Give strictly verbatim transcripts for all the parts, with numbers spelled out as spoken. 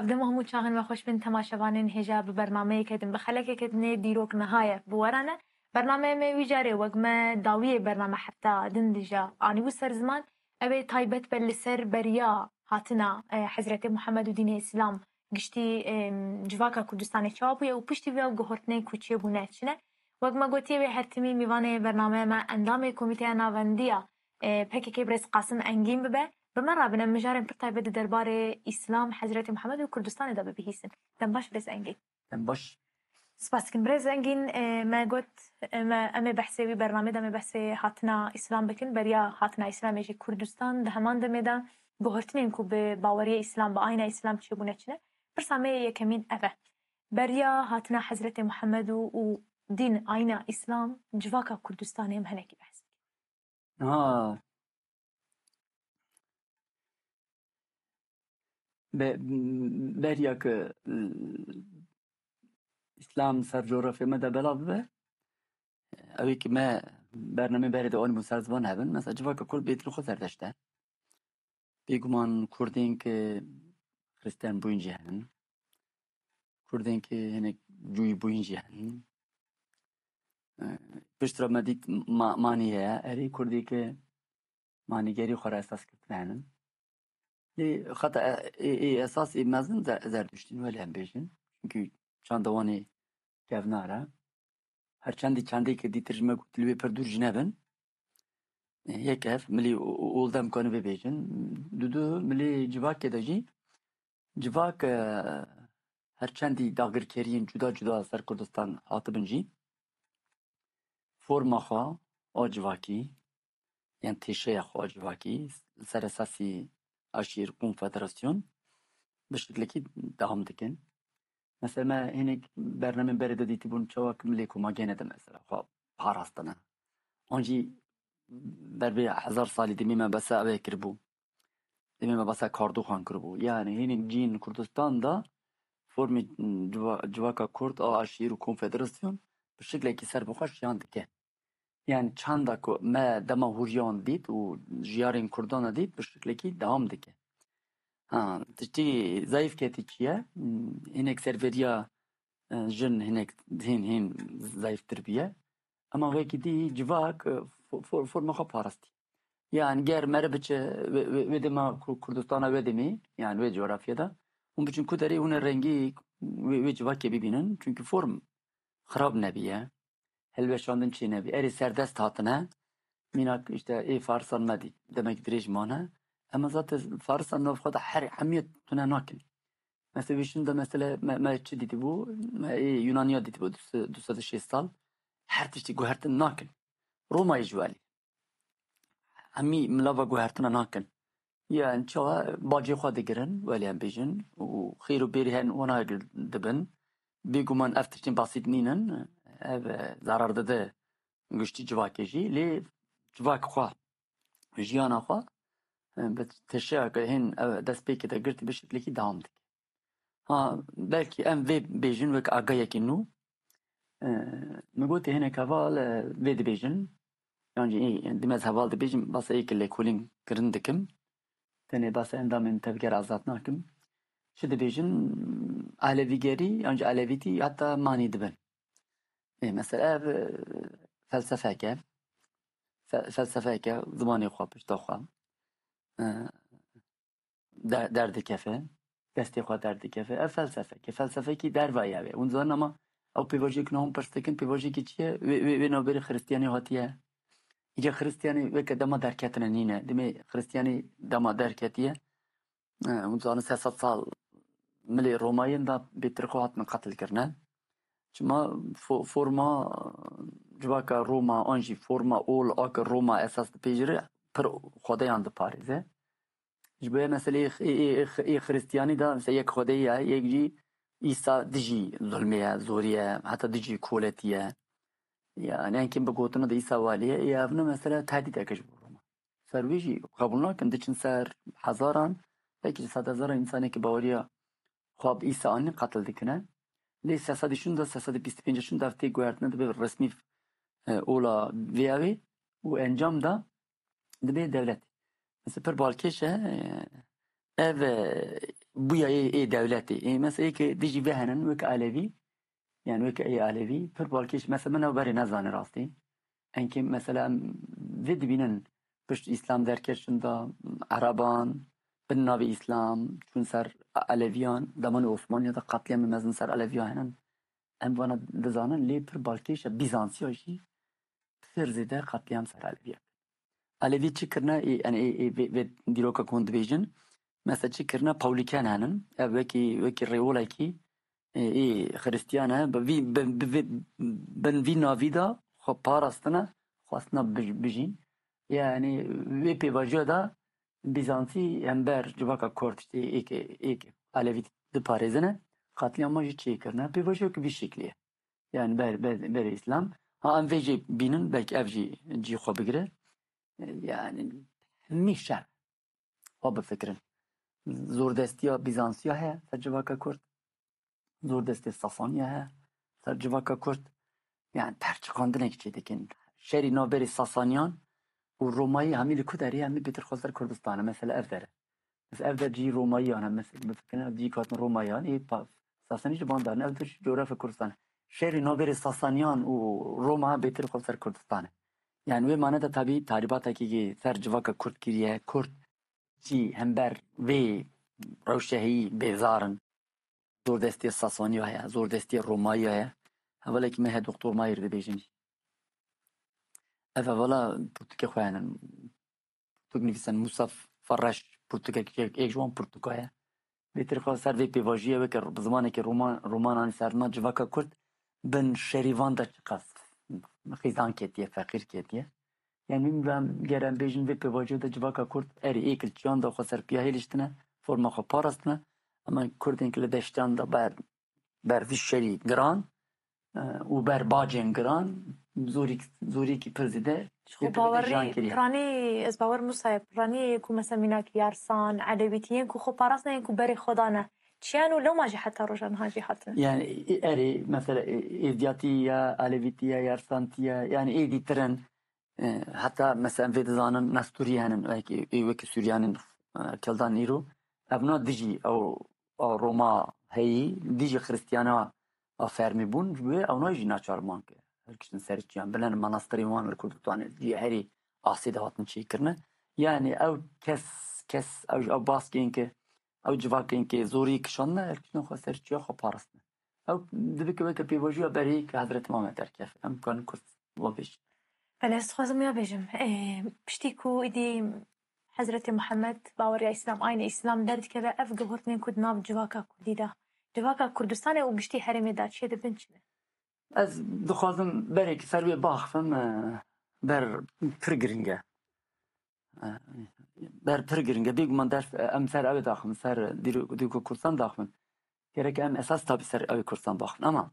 Ev dema hemû çaxên me xweş bin temaşevanên hêja bi bernameyeke din, bi xelekeke dinê dîrok niha ye bi we re ne. Bernameya me wî carê wek me dawiyê bername hefta din dîja anîbû ser ziman. Ew ê taybet be li ser beriya hatina, e, Hezretê Muhammed û dînê Îslam giştî, e, civaka Kurdistanê çawa bûye û piştî vê ew guhortinên ku çêbûne çi ne. Wek me gotiye wê her timî mîvanê bernameya me endamê Komîteya Navendiya, e, P K K birêz Qasim Engîn bibe. Bi me re bin em mijarên pir taybet di derbarê Îslam, Hezretê Muhammed û Kurdistanê de bibihîsin. Dem baş birêz Engîn. Dem baş. Spas dikim. Birêz Engîn, e, me got, e, me, em ê behsê wî bernamê de, em ê behsê hatina Îslam bikin. Beriya hatina Îslamê jî Kurdistan di heman demê de guhertinên ku bi baweriya Îslam, bi ayna Îslam çêbûne çi ne. Pirsa me yê yekemîn ev e. Beriya hatina Hezretê Muhammed û, û dîn, ayna Îslam, civaka Kurdistanê em hinekî behs bikin. Ha. Be-, beriya ke, e, Îslam ser coğrafya me de belav bibe, ew ê ki me bernamê berê de anîbû ser ziman hebin. Mesela civaka Kurd bêtir xwe serdeşt e. Bêguman Kurdên ki Xristiyan bûyîn jî henin. Kurdên ki hinek cûyî bûyîn jî henin. E, piştre me dît ma-, manî heye. Erê Kurdê ki manîgerî xwe re esas girtine henin. Lê xeta e-, ê, ê esas ê mezin Ze-, Zerduştîn, welê em bêjin. Çünkü çanda wan ê kevnar e. Her çendî çendê ki dîtir ji me got li wê pir dûr jî nebin. E, yek ev, milî û, û, û dem kane vê bêjin. Du du milî civakê de jî, civak, e, her çendî dagirkeriyên cuda cuda ser Kurdistan hatibin jî, forma xwe a civakî, yan têşeya xwe a civakî, li ser esasî aşîr, konfederasyon, bi şiklekî dewam dikin. Mesela me hinek bernamên berê de dîtibûn çawa ki milê ku ma gene de mesela xwe parastine. An jî ber vê hezar salî demê me behsa ew ê kiribû. Demê me behsa Kardoxan kiribû. Yani hinek cîn Kurdistan de formê civa-, civaka Kurd a aşîr û konfederasyon bi şiklekî serbixwe jiyan dike. Yani çanda ku me dema hûriyan dît û jiyarên Kurdan dît, bi şiklekî dewam dike. Ha, tiştî zayîf ketî çi ye? Hmm, hinek serveriya, e, jin hinek hîn, hîn zayîftir bûye. Ema wekî dî civak, e, fo-, fo-, forma xwe parastî. Yani ger mere biçe wê, wê, wê dema Ku-, Kurdistana wê demê, yani wê coğrafyada, hûn biçin ku derê hûn ê rengî wê, wê civakê bibînin. Çünkü form xirab nebiye. Hilweşandin çê nebî. Erê serdest hatine. Mînak işte ê Farisan me dît. Demek dirêj mane. Ema zaten Farisan nav xwe de her hemiyet tune nakin. Mesela wî şin de mesela me, me çi dîtibû? Me ê Yunaniya dîtibû du sed, du sed û şêst sal. Her tiştî guhertin nakin. Romayê ji welî. Hemî milava guhertina nakin. Yani çawa bacê xwe digirin, welê em bêjin, û xêr û bêrî hen wana dibin. Bêguman ev tiştên basît nînin, ev, e, zarar dide giştî civakê jî, lê civak xwe, jiyana xwe, e, bi tişeyeke hên, e, destpêkê de girtî bi şiklekî dewam dike. Ha, belkî em vê bêjin wek agayekî nû. E, min gotê hinek heval, e, vê dibêjin. Yan jî ê, di me ez heval dibêjim, basa ê ki lêkolîn kirin dikim. Tenê basa endamên tevger azad nakim. Çi dibêjin? Elevîgerî yan jî elevîtî heta manî dibin. Ê, mesela ev, e, felsefeke. Fe-, felsefeke, zimanê xwe, pişta xwe. E, de-, derdikefe. Destê xwe derdikefe. Ev felsefeke. Felsefekî derva ye wê. Hûn zanin ama ew pêvajoyek niha hûn pirs dikin, pêvajiyekî çi ye? Wê, wê, wê navberê Xiristiyanê hatiye. Îca Xiristiyanê weke dema derketine nîne. Demê Xiristiyanê dema derketiye. E, hûn zanin sê sed sal milê Romayên de bêtir xwe hatine qetil kirine. Çima fo-, forma civaka Roma an jî forma ol a ke Roma esas dipêjire pir xwedeyan diparêze. Ji bo meseleyê x-, ê, ê, ê, ê Xiristiyanî de mesela yek xwedeyî ye, yek jî Îsa dijî zulmê ye, zorî ye, heta dijî koletî ye. Yani enkin bi gotina de Îsa walî ye, ê ev ne mesela tehdîdeke ji bo Roma. Ser wî jî qebûl nakin, diçin ser hezaran, belkî ji sedhezaran însanekî baweriya xwe bi Îsa anîn qetil dikine. Lê sê sedî şûnde, sê sedî bîst û pênc şûnde ev tê guhertine dibe resmî, e, ola vêya wê û encam de dibe dewlet. Mesela pir balkêş e, e, ev, e, bûya ê, ê dewletê. Ê, mesela ê ke dijî vê henin wek Elevî, yani wek ê Elevî, pir balkêş, mesela min ew berê nezane rastî. Enkê mesela em vê dibînin pişt Îslam derketin de Ereban, bin navê Îslam, çûn ser Eleviyan, demanê Osmaniya de qetlîyamê mezin ser Eleviya henin. Em vana dizanin, lê pir balkêş e, Bîzansiya jî pir zêde qetlîyam ser Eleviya. Elevî çi kirine? Ê, yani ê, ê, vê, vê dîroka ku hûn dibêjin, mesela çi kirine? Pawlîken henin. Ev wekî, wekî rêwolekî, ê, ê, Xiristiyan e. Bi vî, bi, bi, bi, bin vî navî de xwe parastine, xwestine bij-, bijîn. Yani vê pêvajoya de Bîzantî hember civaka Kurd, işte, ê ke, ê ke Elevî diparêzine, qetlîyama jî çêkirine. Pêvajoyek vî şeklî ye. Yani ber, ber, berê Îslam. Ha, em vê jî bînin, belkî ev jî cî xwe bigire. Yani hemî şer. Xwe bifikirin. Zordestiya Bîzansiya heye ser civaka Kurd. Zordestê Sasaniya heye ser civaka Kurd. Yani perçiqandinek çê dikin. Şerî navberê Sasaniyan û Romayî hemî li ku derê, hemî bêtir xwe ser Kurdistan e. Mesela ev dere. Mesela ev der cî Romayiyan e. Mesela bifikirin ev cî hatin Romayiyan. Ê pa-, Sasanî ji van darin. Ev der coğrafya Kurdistan e. Şerî navberê Sasaniyan û Roma bêtir xwe ser Kurdistan e. Yani wê mane de tabî tahribatekî ser civaka Kurd kiriye. Kurd jî hember vê rewşehî bêzar in. Zordestê Sasaniya heye, zordestê Romayiya heye. Hevalekî me heye Doktor Mahir dibêjin. Ev hevala pirtûkê xwe hene. Pirtûk nivîsen Musa Farreş pirtûkek êk ji wan pirtûka ye. Bêtir xwe ser vê pêvajiyê weke bi zimanekî roman, roman anî ser ziman civaka Kurd bin şerîvan de çiqas xîzan ketiye, feqîr ketiye. Yani min ve ger em bêjin vê pêvajoyê de civaka Kurd erê êk li çiyan de xwe ser piya hêliştine, forma xwe parastine. Ama Kurdên ki li deştiyan de ber, ber vî şerî giran, e, û ber bacên giran, zorîk-, zorîkî pir zêde Ji xwe şêtir bawerî, jiyan kiriye. Piranî, ez bawer Musa ye, piranî ku mesela mînak Yarsan, Elewîtî yên ku xwe parastine, yên ku berê xwe dane. Çiyan û lewma jî heta roja niha jî hatine. Yani, e, erê, mesela, e, Êzdiyatî ye, Elewîtî ye, Yarsantî ye, yani êdî tirin. E, heta mesela em vê dizanin Nesturî henin, wekî, ê wekî Suryanên, e, Keldan îro. Evna dijî ew, ew Roma heyî, dijî Xiristiyana a fermî bûn, ji bo wê ewna jî naçar man ke. Hilkiştin ser çiyan, bilen manastirê wan li Kurdistanê, cihê herî asê de hatin çêkirine. Yani ew kes, kes, ew, ew baskên ke, ew civakên ke zorî kişandine, hilkiştin xwe ser çiya xwe parastine. Ew dibike weke pêvajoya berê ke Hezretî Mamed derkeve. Em karin Kurd wa bêjin. Belê, ez dixwazim ya bêjim. Ê, piştî ku îdî Hezretî Muhammed baweriya Îslam, aynî Îslam derdikeve, ev guhertinên ku di nav civaka Kurdî de, civaka Kurdistanê û giştî herêmê de çêdibin çi ne? Ez dixwazim berê ki ser wê baxivim, e, ber pir giring e. E, ber pir giring e. Bêguman ders, e, em ser ew ê daxivin, ser dîro-, dîroka Kurdistan daxivin. Gerek em esas tabî ser ew ê Kurdistan baxivin. Ama,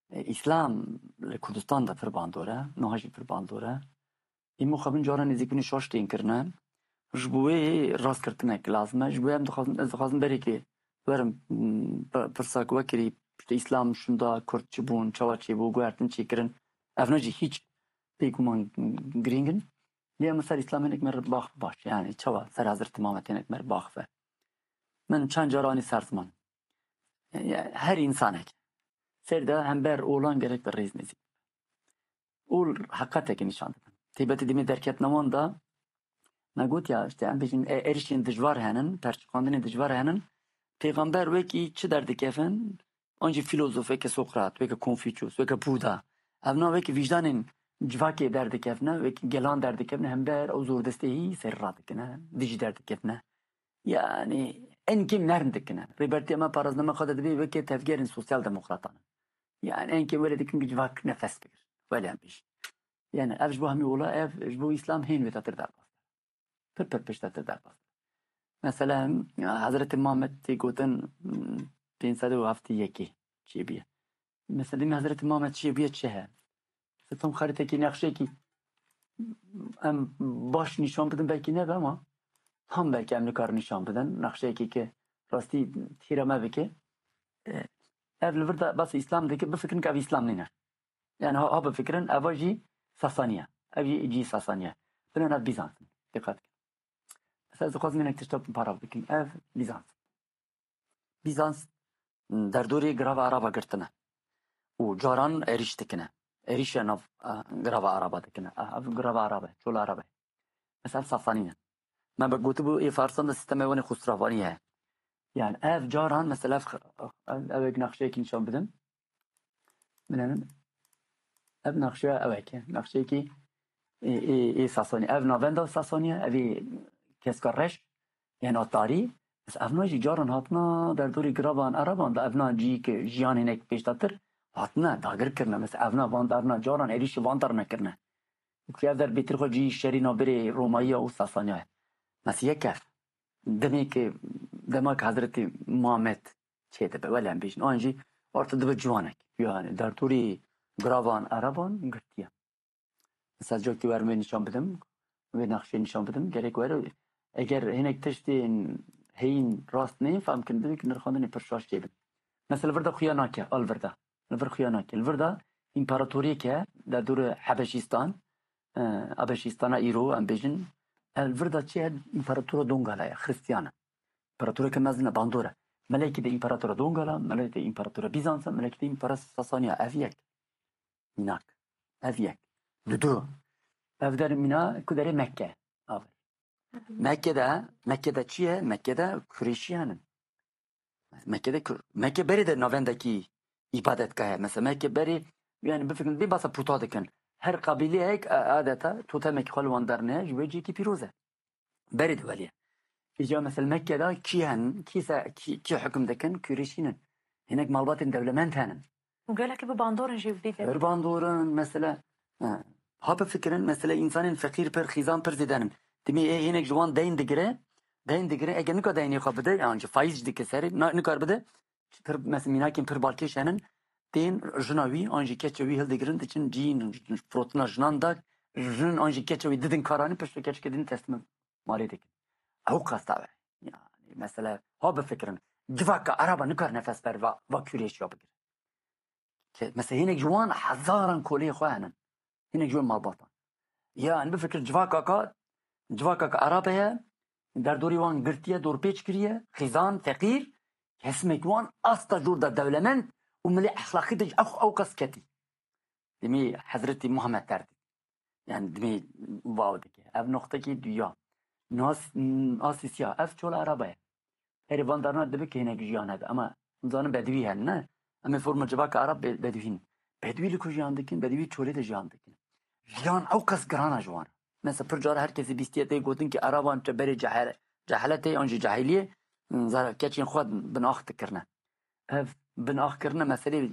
e, Îslam li Kurdistan de pir bandor e, niha jî pir bandor e. Îmo xwe bin cara nêzîkbûnê şaş tên kirine. Ji bo wê rastgirtinek lazim e. Ji bo wê em dixwazin, ez dixwazim berê ki werim, m, p-, pirsa ku we kirî, işte, Îslam şûnda Kurd çi bûn, çawa çêbû, guhertin çêkirin. Evna jî hîç bêguman girîng in. Lê em ser Îslam hinek me re bax baş. Yani çawa ser Hezretî Mamed hinek me re bax ve. Min çend cara anî ser ziman. Yani her însanek ser de hember olan gerek bi rêz nêzîk. Ol heqeteke nîşan didin. Têbetê demê derketina wan de me got ya, işte, em bêjin, e, êrişên dijwar henin, perçiqandinên dijwar henin. Pêxember wekî çi derdikevin? An jî fîlozof weke Sokrat, weke Konfûçyus, weke Buda. Evna weke vîjdanên civakê derdikevine, weke gelan derdikevine, hember ew zordestehî serî radikine, dijî derdikevine. Yani, en kêm nerm dikine. Rêbertiya me, parastina me xwe de dibê weke tevgerên sosyal demokratan. Yani, en kêm wele dikin ku civak nefes bigir. Wele em bêjin. Yani, ev ji bo hemî ola, ev ji bo Îslam hên wêtatir derbas. Pir pir piştetir derbas. Mesela, Hezretî Mamed tê gotin, hmm, pênc sed û heftê yekê çêbûye. Mesela, demê Hezretî Mamed çêbûye çi he? Mesela, tam xaritekî, nexşekî em baş nîşan bidin belkî nebe ama tam belkî em nikarin nîşan bidin. Nexşeyekî ke rastî tîra me bike. E, ev li vir de bes Îslam dike, bifikirin ke ev Îslam nîne. Yani ha, ha bifikirin, eva jî Sasaniye. Ev jî cî Sasaniye. Bine ev Bîzans in. Dîqet kin. Mesela ez dixwazim hinek tişta paraf bikim. Ev Bîzans. Bîzans derdorê girava Araba girtine. Û caran êrîş dikine. Êrîşa nav, e, girava Araba dikine. E, ev girava Araba, çola Araba. Mesela Sasanî ne. Me be gotibû, ê Farsan de sîstemê wan ê Xusravanî heye. Yani ev caran mesela ev, ev, ev ek nexşeyekî nîşan bidim. Binenin. Ev nexşeya ew eke. Nexşeyekî ê, ê, ê Sasanî. Ev navenda Sasanî ye. Ev ê keska reş. Yena tarî. Mesela evna jî caran hatna derdorî giravan Ereban da evna cî ke jiyan hinek pêşdatir hatne, dagir kirine. Mesela evna van, evna caran êrîşî van dar nekirine. Ku ev der bêtir xwe cî şerî navbirê Romayiya û Sasaniya ye. Mesela yek ev. Demê ke, dema ke Hezretî Muhammed çêdibe, wele em bêjin, an jî orta dibe ciwanek. Yani derdorî giravan Ereban girtiye. Mesela cokî werim wê nîşan bidim, wê nexşê nîşan bidim, gerek were, eger hinek tiştên heyîn rast neyên fehm kirin, divê ki nirxandinê pir şaş çêbin. Mesela li vir de xuya nake, a li vir de. Li vir xuya nake. Li vir de împaratoriyek e, derdorê Hebeşîstan, e, Hebeşîstana îro, em bêjin, e, li vir de çi ye? Împaratora Dongala ye, Xristiyan e. Împaratoreke mezin e, bandor e. Melekî de împaratora Dongala, melekî de împaratora Bîzans e, melekî de împaratora Sasaniya. Ev yek. Mînak. Ev yek. Dudu. Ev der mîna ku derê Mekke. Aver. Mekke de, Mekke de çi ye? Mekke de Kurêşiyan in. Mekke de Kur-, Mekke berê de navendekî îbadetgah e. Mesela Mekke berê, yani bifikirin, bê basa puta dikin. Her qabîleyek, e, adeta totemekî xwe li wan derneye, ji wê cihekî pîroz e. Berê de welî ye. Îca mesela Mekke de kî hen, kî se, kî, kî hukm dikin, Kurêşîn in. Hinek malbatên dewlemend henin. Û gelekî bi bandor in jî vî de. Pir bandor in, mesela, ha, ha bifikirin, mesela, însanên feqîr pir, xîzan pir zêde nin. Dimê ê hinek ji wan deyn digire, deyn digire, eger nika deynê xwe bide, yan jî faiz jî dike serê, na-, nikar bide, pir, mesela, mînakên pir balkêş henin, tên jina wî, an jî keça wî hildigirin, diçin cîn, firotina jinan da, jin an jî keça wî didin karanî, piştre keçikê din teslim malê dikin. Ew qasta be. Yani, mesela, ha bifikirin, civaka Eraba nikar nefes ber va, va Kurêşiya bigire. Ke, mesela, hinek ji wan hezaran kolê xwe henin. Hinek ji wan malbatan. Yani, bifikir civaka ka, civaka ka Eraba ye, derdorî wan girtiye, dorpêç kiriye, xîzan, feqîr, kesmek wan asta jor da dewlemend û milê exlaqî de jî ew, ew qas ketî. Dimî Hezretî Muhammed derdî. Yani dimî vav dike. Ev noqtekî duya. Nas, asîsiya. Ev çola Eraba ye. Herî van darna dibe ki hinek jiyan hebe. Ama zanin bedwî hen, ne? Em ê forma civaka Erab be-, bedwî ne. Bedwî li ku jiyan dikin? Bedwî çolê de jiyan dikin. Jiyan ew qas girana ji wan. Mesela pir cara her kesî bîstiye tê gotin ki Eraban te berê cehel-, ceheletê an jî cehiliyê, zara keçên xwe binax dikirine. Ev binax kirine meselê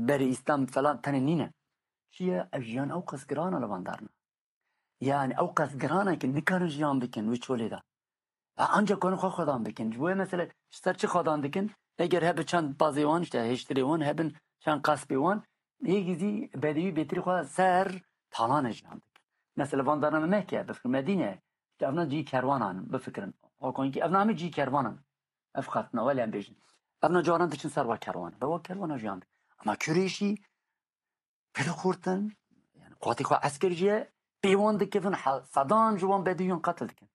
berê Îslam falan tenê nîne. Çi ye? Ev jiyan ew qas giran e li van darna. Yani ew qas giran e ki nikarin jiyan bikin wê çolê de. Ha, ancak karin xwe xwedan bikin. Ji bo mesela ji ser çi xwedan dikin? Eger hebe çend bazê wan, işte hêştirê wan, hebin çend qespê wan, hêgî zî bedewî bêtirî xwe ser talanê jiyan dikin. Mesela van darna me Mekke, bifikir Medîne, işte evna cî kerwanan, bifikirin. Hakonkî evna hemî cî kerwanan. Ev xatina, wele em bêjin. Evna caran diçin ser wa kerwana. Be wa kerwana jiyan dikin. Ama Kurêşî pir xurt in, yani qatî xwe esker jî ye, pê wan dikevin, he-, sedan ji wan bedewîyan qetil dikin.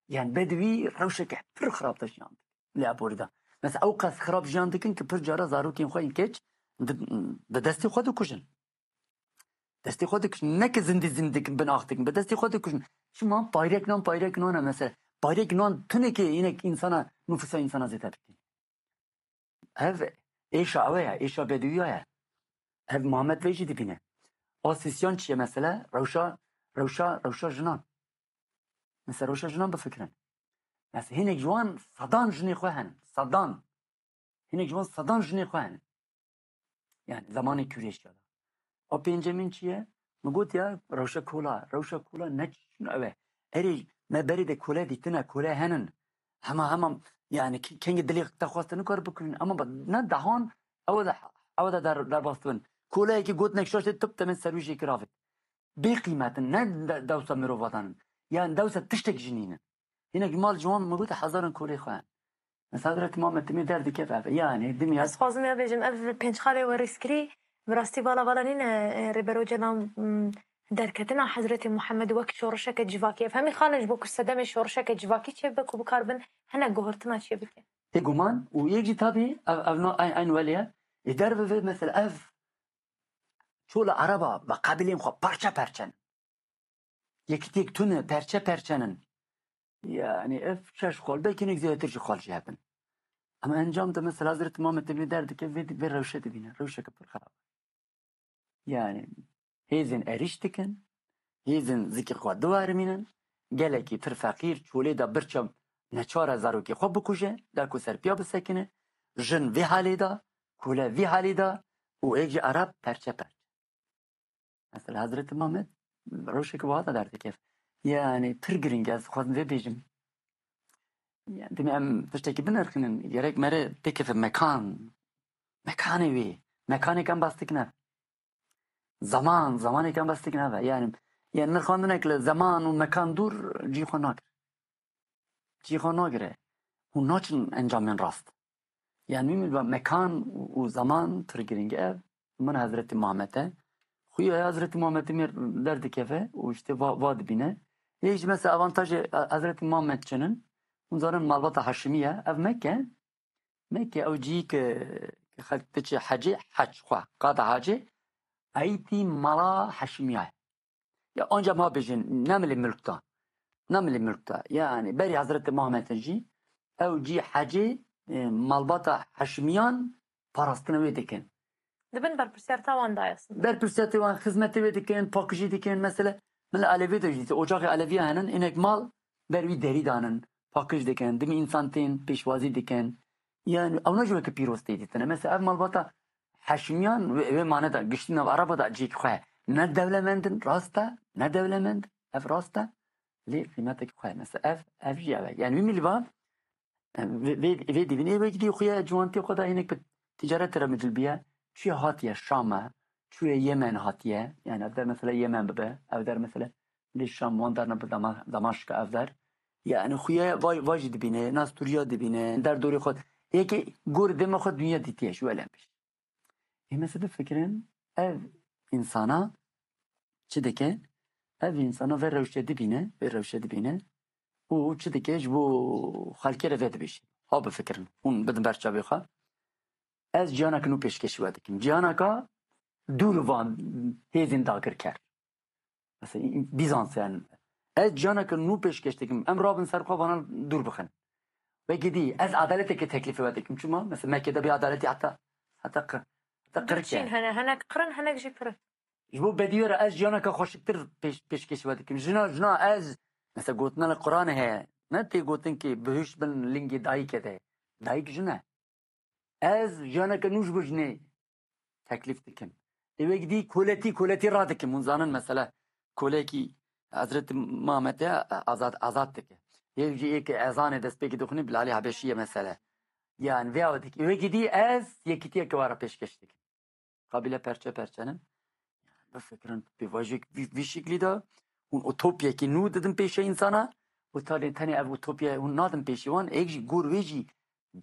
Yani bedewî rewşeke pir xirab de jiyan dikin. Lê aborî de. Mesela ew qas xirab jiyan dikin ki pir cara zarokên xwe yên keç di, bi destê xwe dikujin. Destê xwe dikujin. Ne ki zindî zindî dikin, binax dikin. Bi destê xwe dikujin. Çima payrek nan, payrek nan e mesela. Payrek nan tunekê yine insana, nüfusa insana zêde bikin. Ev êşa ew e, êşa bedûya ye. Ev Muhammed vê jî dibîne. Asîsyan çi ye mesela? Rewşa, rewşa, rewşa jinan. Mesela rewşa jinan bifikirin. Mesela hinek ji wan sedan jinê xwe henin. Sedan. Hinek ji wan sedan jinê xwe henin. Yani zemanê Kurêşiya de. A pêncemîn çi ye? Min got ya rewşa kola. Rewşa kola ne çi ew e. Erê me berê de kole dîtine, kole henin. Hema hema yani ki-, kengê dilê te xweste nikare bikirin. Ama ba-, ne dehan ew de, ew de der-, derbas dibin. Koleyekî gotinek şaş tê, tip te min ser wî jê kir avêt. Bê qîmet in, ne de-, dewsa mirova dan in. Yani dewsa tiştek ji nînin. Hinek mal ciwan min gote hezaran kolê xwe. Mesela Hezretî Muhammed timê derdikeve ev. Yani dimya Ez xwazim ya bêjim, ev pênc xalê we rêzkirî, bi rastî vala vala nîne, e, Rêber Ocalan, m, derketina Hezretê Muhammed wek şorişeke civakî. Ev hemî xalin ji bo ku sedemê şorişeke civakî çêbibe ku bikarbin hinek guhurtina çêbikin. Tê guman û yek jî tabî ev, ev no, eyn, eyn welê ye. Ê derve vê mesela ev çola Ereba ve qabilên xwe parçe parçe ne. Yekitiyek tune, perçe perçe nin. Yani ev şeş xal, belkî hinek zêdetir jî xal jî hebin. Ama encam de mesela Hezretî Muhammed Emînî derdike vê, vê rewşe dibîne. Rewşeke pir xerab. Yani hêzên erîş dikin, hêzên zikê xwe diwerimînin, gelekî pir feqîr, çolê de birçe neçare zarokê xwe bikuje, da ku serpiya bisekine, jin vê halê de, kule vî halê de û êk jî Ereb perçe perçe. Mesela Hezretî Muhammed rewşeke wiha de derdikeve. Yani pir giring e, ez dixwazim vê bêjim. Yani, demê em tiştekî binirxînin, gerek mere pêkeve mekan. Mekanê wê. Mekanê em bas dikin ev. Zaman, zamanê em bas dikin ev. Yani, yani nirxandinek li zaman û mekan dûr cî xwe nagire. Cî xwe nagire. Hûn naçin encamên rast. Yani wî min va mekan û, û zaman pir giring e. Min Hezretî Muhammed e. Xuya Hezretî Muhammed mir derdikeve û işte va, va dibîne. Yê jî mesela avantajê Hezretî Muhammed çinin. Hûn zanin malbata Haşimî ye. Ev Mekke. Mekke ew cî ke, ke xelk diçe hecê, hec xwe, qada hecê, eytî mala Haşimiya ye. Ya anca ma bêjin, ne milê milk da. Ne milê milk da. Yani berî Hezretî Muhammed jî ew cî hecê, e, malbata Haşimiyan parastina wê dikin. Di bin berpirsiyarta wan de ye aslında. Berpirsiyartê wan, xizmetê wê dikin, pakijî dikin. Mesela, min li Elevê de jî, ocaxê Eleviya henin, inek mal ber wî derî danin, pakij dikin, dimî însan tên, pêşwazî dikin. Yani, ew ne ji weke pîroz tê dîtine. Mesela, ev malbata Heşimiyan wê, wê mane de, giştî nav Ereba de cihek xwe. Ne dewlemend in, rast e, ne dewlemend, ev rast e. Lê qîmetek xwe. Mesela, ev, ev jî ev e. Yani, wî milî va, vê, vê, vê dibînê wek dî xuya ciwantî xwe da hinek bi ticaret re micil biye. Çuye hatiye Şam e, çuye Yemen hatiye. Yani, ev der mesela Yemen bibe, ev der mesela lê Şam wan der ne bi Dama-, Damaşka ev der. Yani, xuya vay, vay jî dibîne, nas Turiya dibîne, der dorê xwe. Yekê gor dema xwe dunya dîtiye, ji welem biş. Ê mesela bifikirin, ev însana çi dike? Ev însana vê rewşe dibîne, vê rewşe dibîne û çi dike ji bo xelkê re vê dibêje. Ha bifikirin, hûn bidin ber çavê xwe. Ez ciyaneke nû pêşkêşî we dikim. Ciyaneka dûr van hêzên dagirker. Mesela, Bîzans yani. Ez ciyaneke nû pêşkêş dikim. Em rabin ser xwe vana dûr bixin. Wekî dî, ez edaleteke teklîfê we dikim. Çima? Mesela Mekke de bê edaletî heta, heta qir-, heta qirke. Çîn hene, henek qirin, henek jî pirin. Ji bo bedî wê re ez jiyaneke xweşiktir pêş-, pêşkêşî we dikim. Jina, jina ez, mesela gotina li Quranê heye. Ne tê gotin ki bihuşt bin lingê dayikê de. Dayik jin e. Ez jiyaneke nû ji bo jinê teklîf dikim. Ê wek dî koletî, koletî radikim. Hûn zanin mesela kolekî Hezretî Muhammed e, azad, azad dike. Yek jî yek ezanê destpêkê dixwînî Bilalî Habeşî ye mesela. Yani vê awe dike. Ê wek dî ez yekîtiyeke we re pêşkêş dikim. Qabîle perçe perçe nin. Bifikirin, pêvajoyek vî, vî şiklî de hûn utopyekî nû didin pêşe însana û tenê, tenê ev utopya hûn nadin pêşî wan, êk jî gor wê jî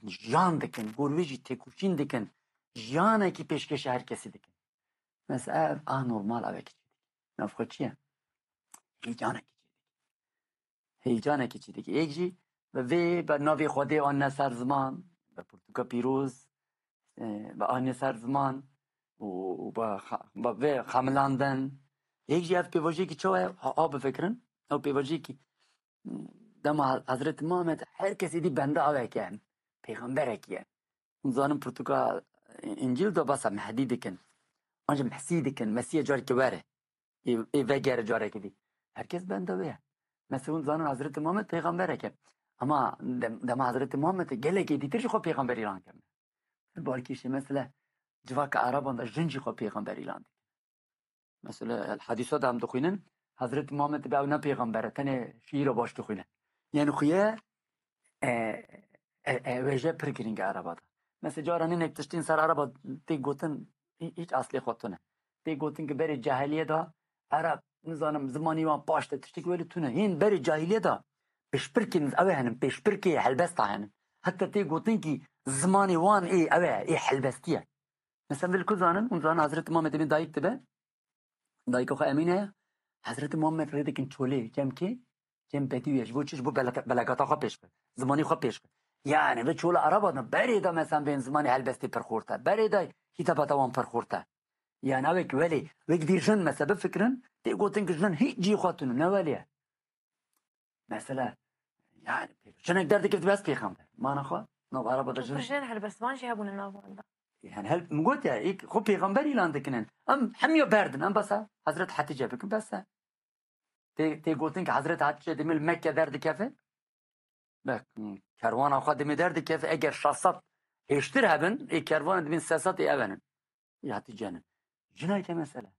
jiyan dikin, gor wê jî têkoşîn dikin, jiyanekî pêşkêşe her kesî dikin. Mesela ev anormal, ev çi dikin? Nav xwe çi ye? Heyecanekî çi dikin? Heyecanekî çi dike. Yek jî bi vê, bi navê Xwedê anîne ser ziman, bi pirtûka pîroz, e, bi anîne ser ziman û, û bi xa-, bi vê xemilandin. Yek jî ev pêvajoyekî çawa ye? Ha, ha bifikirin. Ew pêvajoyekî, dema Hezretî Muhammed her kesê dî benda aweke, pêxemberekî ye. Hûn zanin pirtûka Încîl de basa Mehdî dikin. An jî Mesîh dikin. Mesîhê careke were. Ê, ê vegere carekî dî. Herkes benda wê ye. Mesela hûn zanin Hezretî Muhammed pêxemberek e. Ama dem-, dema Hezretî Muhammed gelekê dîtir jî xwe pêxember îlan kirine. Pir balkêş e. Mesela civaka Ereban de jin jî xwe pêxember îlan dikin. Mesela hedîsa de em dixwînin, Hezretî Muhammed be ew ne pêxember e, tenê şiîra baş dixwîne. Yani xuye, e, e, e, wêje pir giring e Ereba de. Mesela cara ninek tiştên ser Ereba tê gotin, hî-, hîç eslê xwe tune. Tê gotin ki berê cahiliye de Ereb, nizanim, zimanî wan paş de tiştek wê li tune. Hîn berê cahiliye de pêşbirkên ew ê henin, pêşbirkê helbesta henin. Heta tê gotin ki zimanê wan ê ew e, ê helbestî ye. Mesela vê li ku zanin, hûn zanin Hezretî Muhammed Emîn dayik dibe, dayika xwe Emîne ye, Hezreti Muhammed rê dikin çolê, cem kê? Cem bedî ye. Ji bo çi? Ji bo beleka-, belegata xwe pêş xwe. Zimanî xwe pêş xwe. Yani bi çola Araba da berê da mesela bên zimanî helbestê pir xort e. Berê da hîtebata wan pir xort e. Yani ew ê ki welê, wek dî jin mesela bifikirin, tê gotin ki jin hiç cî xwe tunu, ne welê ye. Mesela, yani, jinek derdikevt bes pêxember. Mana xwe, nav Araba da jin. Jin helbestvan jî hebûne nav wan da. Yani, hel, min got ya, ilk xwe pêxember îlan dikinin. Em hemiya berdin, em besa Hezret Hatice bikin, bes e. Tê, tê gotin ki Hezret Hatice demê li Mekke derdikeve. Bek, kerwana xwe demê derdikeve, eger şeş sed hêştir hebin, ê kerwana dibin sê sed ê ev henin. Ê Hatice nin. Jinayke mesela.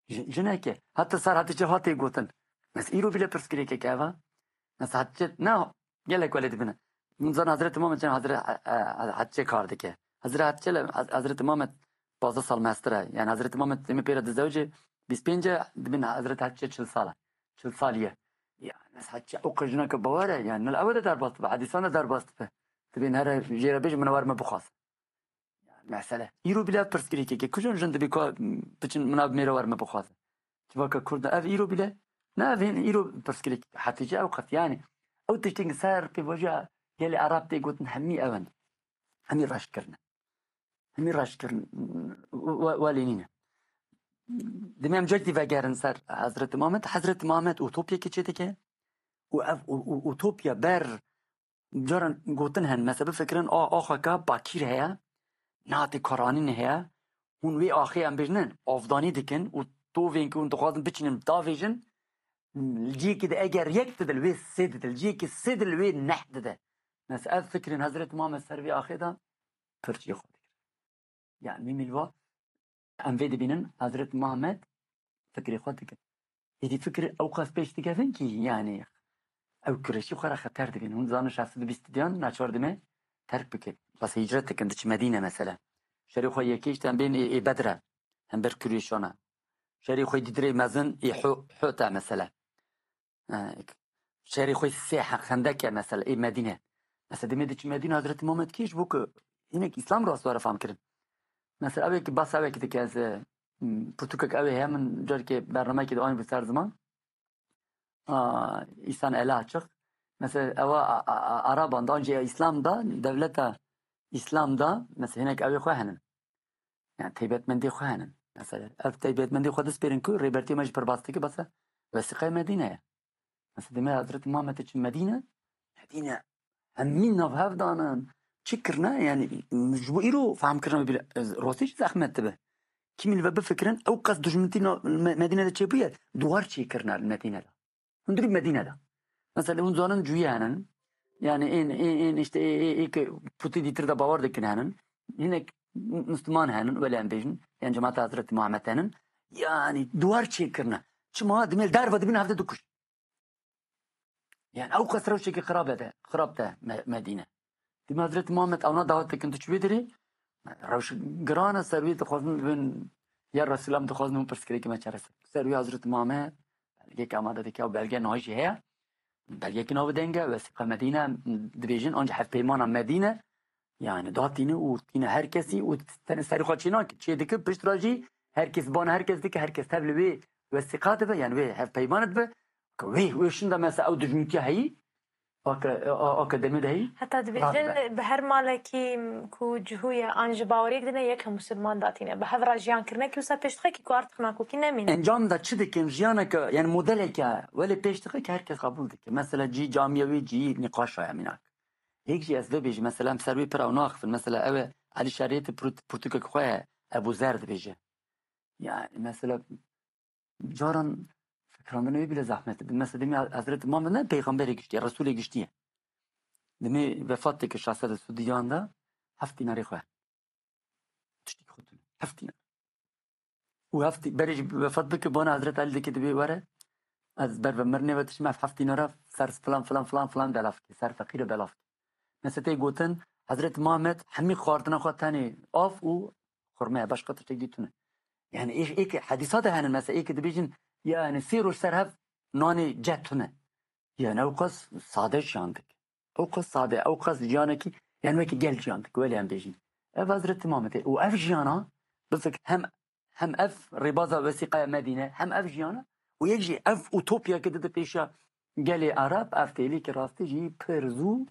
Ji-, jineke. Heta sar Hatice hatê gotin. Mes îro bile pirsgirêkek eva. Mes Hatice, ne, gelek welê dibine. Min zan Hezreti Muhammed çend Hezre-, e, e, Hatice kar dike. Hezre Hatice le, Hezreti Muhammed pazdeh sal mestir e. Yani Hezreti Muhammed demê pêra dizewce bîst pênc e, dibin Hezreti Hatice çil sal e. Çil salî ye. Ya, mes Hatice o qijneke bawer e. Yani nil ewe de derbas dibe. Hedisan de derbas dibe. Dibên here jê re bêje min wer me bixwaz. Mesele. Îro bile pirsgirêkeke. Kujon jin dibê ku biçin min av mêre wer me bixwaze. Civaka Kurd ev îro bile. Ne ev hên îro pirsgirêk. Hetice ew qet yani. Ew tiştên ser pêvajoya gelê Arab tê gotin hemî ew in. Hemî reş kirine. Hemî reş kirin. We-, welê nîne. Demê em cek dî vegerin ser Hezreti Muhammed. Hezreti Muhammed utopyeke çêdike. Û ev u-, u-, utopya ber Caran gotin hen, mesela bifikirin, a, axaka bakîr heye, nehatê karanîn heye, hûn wê axê em bêjin, avdanî dikin û tovên ku hûn dixwazin biçînin davêjin, li cihekî de eger yek dide, li wê sê dide, li cihekî sê dide, li wê neh dide. Mesela ev fikrên Hezreti Muhammed ser vê axê de pir jê xwe dikir. Yani mîmî li va em vê dibînin, Hezreti Muhammed fikrê xwe dike. Êdî fikir ew qas pêş dikevin kî, yani ew kureşî xwe re xeter dibînin. Hûn dizanin şeş sed û bîst diyan naçar dime terk bike. Bas hicret dikin, diçi Medîne mesela. Şerê xwe yekê işte em bên ê, ê Bedre. Hember kureşana. Şerê xwe dîdirê mezin ê Hu-, Hu'te mesela. E, şerê xwe sê he-, xendeke mesela ê Medîne. Mesela demê diçi Medîne Hezreti Muhammed kî ji bo ku hinek Îslam rast were fam kirin. Mesela ew ê ki bas ew ê ki dike ez, e, m, pirtûkek ew ê heye min carekê bernameyekê de anî bi ser ziman. A, îsan ele açık. Mesela ewa a, a, a, Araban da, ancî Îslam da, devleta Îslam da, mesela hinek ew ê xwe henin. Yani taybetmendê xwe henin. Mesela ev taybetmendê xwe dispêrin ku rêbertiya me jî pir bas dike, basa wesiqayê Medîne ye. Mesela demê Hezreti Muhammed çi Medîne, Medîne hemî nav hev danin. Çi kirine? Yani ji bo îro fehm kirina bile, rostî jî zehmet dibe. Kimî li ve bifikirin, ew qas dijminîtî na-, Me-, Medîne de çêbûye, duwar çêkirine li Medîne de. Hundirî Medîne de. Mesela hûn zanin cuyî henin. Yani ên, ên, ên işte ê, ê, ê ke putî dîtir de bawer dikin henin. Hinek Müslüman henin, wele em bêjin. Yan cemaata Hezreti Muhammed henin. Yani duwar çêkirine. Çima? Dimê li derve dibin hevde dikuş. Yani ew qas rewşekî xirab e de, xirab de Me-, Medîne. Dima Hezreti Muhammed ewna dawet dikin tu çi wê dirê? Rewş giran e ser wê dixwazin bin ya Resulullah dixwazin hûn pirsgirêkê me çarese. Ser wê Hezreti Muhammed belgeyek amade dike û belge nahî jî heye. Belgeyekî navê deng e, Wesîqa Medîne dibêjin, anca hevpeymana Medîne. Yani datîne û tîne her kesî û tenê serî xwe çê nake. Çê dike, pişt re jî her kes bana her kes dike, her kes tev li wê wesîqa dibe, yani wê hevpeymana dibe. Ke wê, wê şinda mesela ew dijmîtiya heyî, ake, a, ake demê de heyî. Heta dibêjin, bi her malekî ku cihû ye, an ji baweriyek din e, yek musulman datîne. Bi hev re jiyan kirinekî wisa pêş dixe kî ku artix nakokî nemîne. Encam da çi dikin? Jiyaneke, yani modeleke, welê pêş dixe ki her kes qebûl dike. Mesela cî camiye wê cî nîqaşa ye mînak. Yek jî ez vê bêjim, mesela em ser wê pir ew naxifin. Mesela ew e Elî Şeriyetî pirtû-, pirtûkek xwe ye, Ebû Zer dibêje. Yani mesela caran fikrandina wê bile zehmet e. Mesela demê Hezreti Muhammed ne peyxamberê giştî ye, Resûlê giştî ye. Demê vefat dike şeş sed û diyan de heft dînarê xwe. Tiştî xwe tune. Heft dînar. Û heft dî-, berê jî vefat bike, bana Hezreti Elî dike dibê were. Ez ber ve mirinê ve tişim ev heft dînara ser filan, filan, filan, filan belav ke. Ser feqîre belav ke. Mesela tê gotin, Hezreti Muhammed hemî xwardina xwe tenê av û xurme ye, başqa tiştek dî tune. Yani ê, ê ke hedîsa de henin, mesela ê ke dibêjin, yani sê roj ser hev nanê ce tune. Yani ew qas sade jiyan dik. Ew qas sade, ew qas jiyanekî, yani wekî gel jiyan dik, welê em bêjin. Ev Hezreti Muhammed e. Û ev jiyana, bifik hem, hem ev rêbaza wesîqaya Medîne, hem ev jiyana, û yek jî ev utopyayeke dide pêşiya gelê Ereb, ev têlî ki rastî jî pir zû,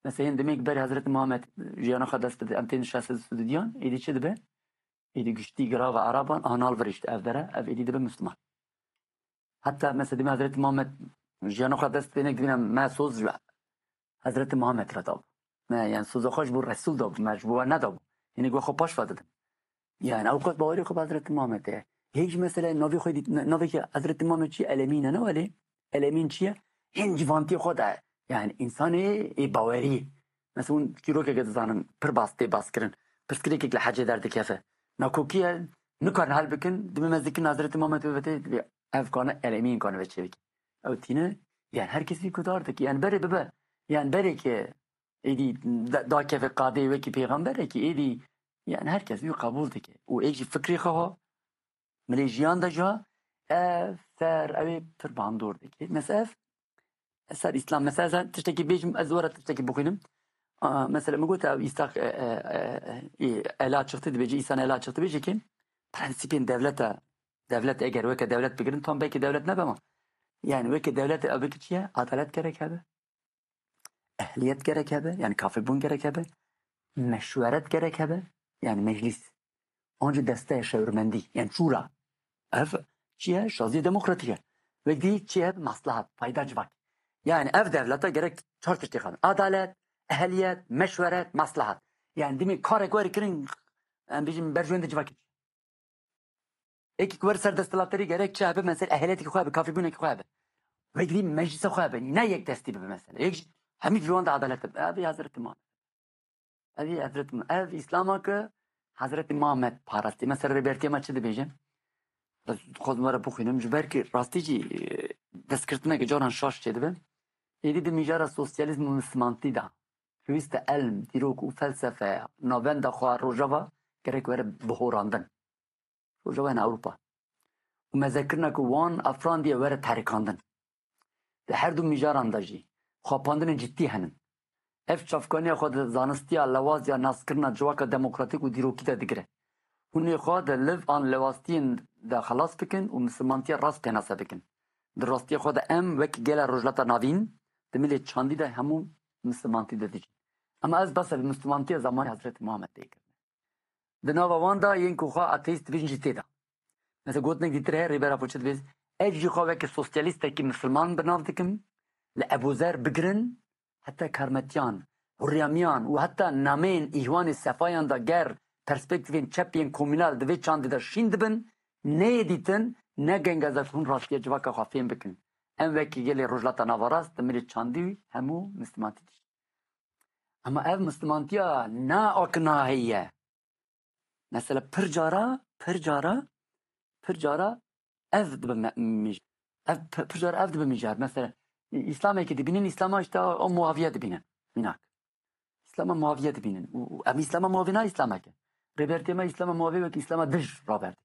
mesela yên demê ki berê Hezretî Muhammed jiyana xwe dest bide, em tên şeş sed û diyan, êdî çi dibe? Êdî giştî girava Ereban anal virişt ev dere, ev êdî dibe Müslüman. Heta mesela demê Hezretî Muhammed jiyana xwe dest bide, nek dibîne me soz ji Hezretî Muhammed re dabû. Me, yani, soza xwe ji bo Resul dabû, me ji bo we nedabû. Hinek we xwe paş ve didin. Yani, ew qas bawerî xwe bi Hezretî Muhammed heye. Hêj mesela navê xwe dît, navê ki Hezretî Muhammed çi? Elemîn e, ne welê? Elemîn çi ye? Hên civantiyê xwe de, yani, insanê ê bawerî. Mesela, hûn çîrokeke dizanin, pir bas tê bas kirin. Pirsgirêkek li hecê derdikeve. Nakokî ye, nikarin hel bikin, dibê me zikin Hezretî Muhammed bibete, dibê ev kane Elemîn kane ve çêbike. Ew tîne, yani, her kes vî guhdar dike. Yani, berê bibe, yani, berê ki êdî da-, dakeve qadê wekî pêxemberekî, êdî, yani, her kes wî qebûl dike. Û êk jî fikrê xwe ha, milê jiyan de jî ha, ev ser ew ê pir bandor dike. Mesela ev, ser Îslam, mesela ez tiştekî bêjim, ez were tiştekî bixwînim. A, mesela min got ev îstak, e, e, e, e, ela çıktı dibêje, îsan ela çıktı bêje ki prensîpên dewleta, dewlet eger weke dewlet bigirin, tam belkî dewlet nebe ama. Yani weke dewlet ev ki çi ye? Adalet gerek hebe. Ehliyet gerek hebe, yani kafilbûn gerek hebe. Meşweret gerek hebe, yani meclis. Onca desteya şewirmendî, yani şûra. Ev çi ye? Şaziye demokratîk e. Wek dî çi ye? Maslahat, fayda civak. Yani ev dewleta gerek çar tiştê xwe. Adalet, ehliyet, meşweret, maslahat. Yani dimê karek were kirin, em bêjin berjewendê civakê. Êkî ku were ser desthilatdarî gerek çi hebe, mesela ehliyeteke xwe hebe, kafîbûneke xwe hebe. Wek dî meclisa xwe hebe, ne yek destî bibe mesela. Yek jî hemî ji wan de edalet hebe. Ev ê Hezretî Muhammed. Ev ê Hezretî Muhammed. Ev Îslama ki Hezretî Muhammed parastî. Mesela Rêbertiya me çi dibêje? Ez dixwazim were bixwînim. Ji ber ki rastî jî, e, destgirtineke caran şaş çêdibe. Êdî di mijara sosyalîzm û mislimantî de pêwîste elm, dîrok û felsefeya navenda xwe Rojava gerek were bihorandin. Rojava yani Ewropa. Û mezekirina ku wan afrandiye were terikandin. Di her du mijaran de jî xapandinên ciddî henin. Ev çavkaniya xwe di zanistiya lewaz ya naskirina civaka demokratîk û dîrokî de digire. Hûn ê xwe di liv an lewastiyên de xelas bikin û misilmantiya rast pênase bikin. Di rastiya xwe de em wek gela Rojhilata Navîn di milê çandî de hemû misilmantî de dijîn. Ema ez behsa bi misilmantiya zamanê Hezretî Muhammed tê kirin. Di nava wan de yên ku xwe ateîst dibêjin jî tê de. Mesela gotinek dîtir heye, Rêber Apo çi dibêt? Ez jî xwe weke sosyalîstekî misilman bi nav dikim, li Ebûzer bigirin, heta Karmetiyan, Hurriyamiyan û heta nameyên Îhwanê Sefayan de ger perspektîfên çep yên komînal di vê çandê de şîn dibin, neyê dîtin, ne genga zek hûn rastiya civaka xwe fêm bikin. Em wekî gelê Rojhilata Naverast di milê çandî hemû misilmantî dijîn. Ema ev misilmantiya ne akina heye. Mesela pir cara, pir cara, pir cara ev dibe me-, mij-, ev pi-, pir cara ev dibe mijar. Mesela Î-, Îslamekî dibînin, Îslama işte o Muaviye dibînin. Mînak. Îslama Muaviye dibînin. Û, û em Îslama Muaviye ne Îslameke. Rêbertiya me Îslama Muaviye wek Îslama dij raberdik.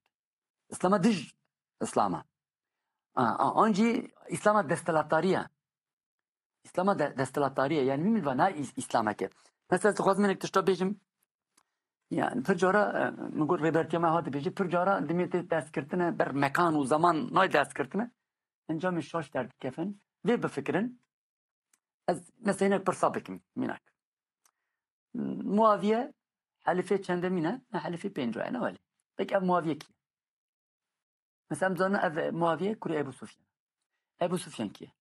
Îslama dij Îslama. A, a, an jî Îslama desthilatdariye. Îslama de, desthilatdariye. Yani min va na Îs-, Îslameke. Mesela ez dixwazim hinek tişta bêjim. Yani pir cara, e, min got Rêbertiya me hat dibêje, pir cara dimê tê destgirtine ber mekan û zaman nayê destgirtine. Encamê şaş derdikevin. Vê bifikirin. Ez mesela hinek pirsa bikim, mînak. Muaviye helîfê çendemîn e? Ne, helîfê pêncû ye, ne welê. Peki ev Muaviye kî ye? Mesela em zanin ev Muaviye kurê Ebu Sufyan. Ebu Sufyan kî ye?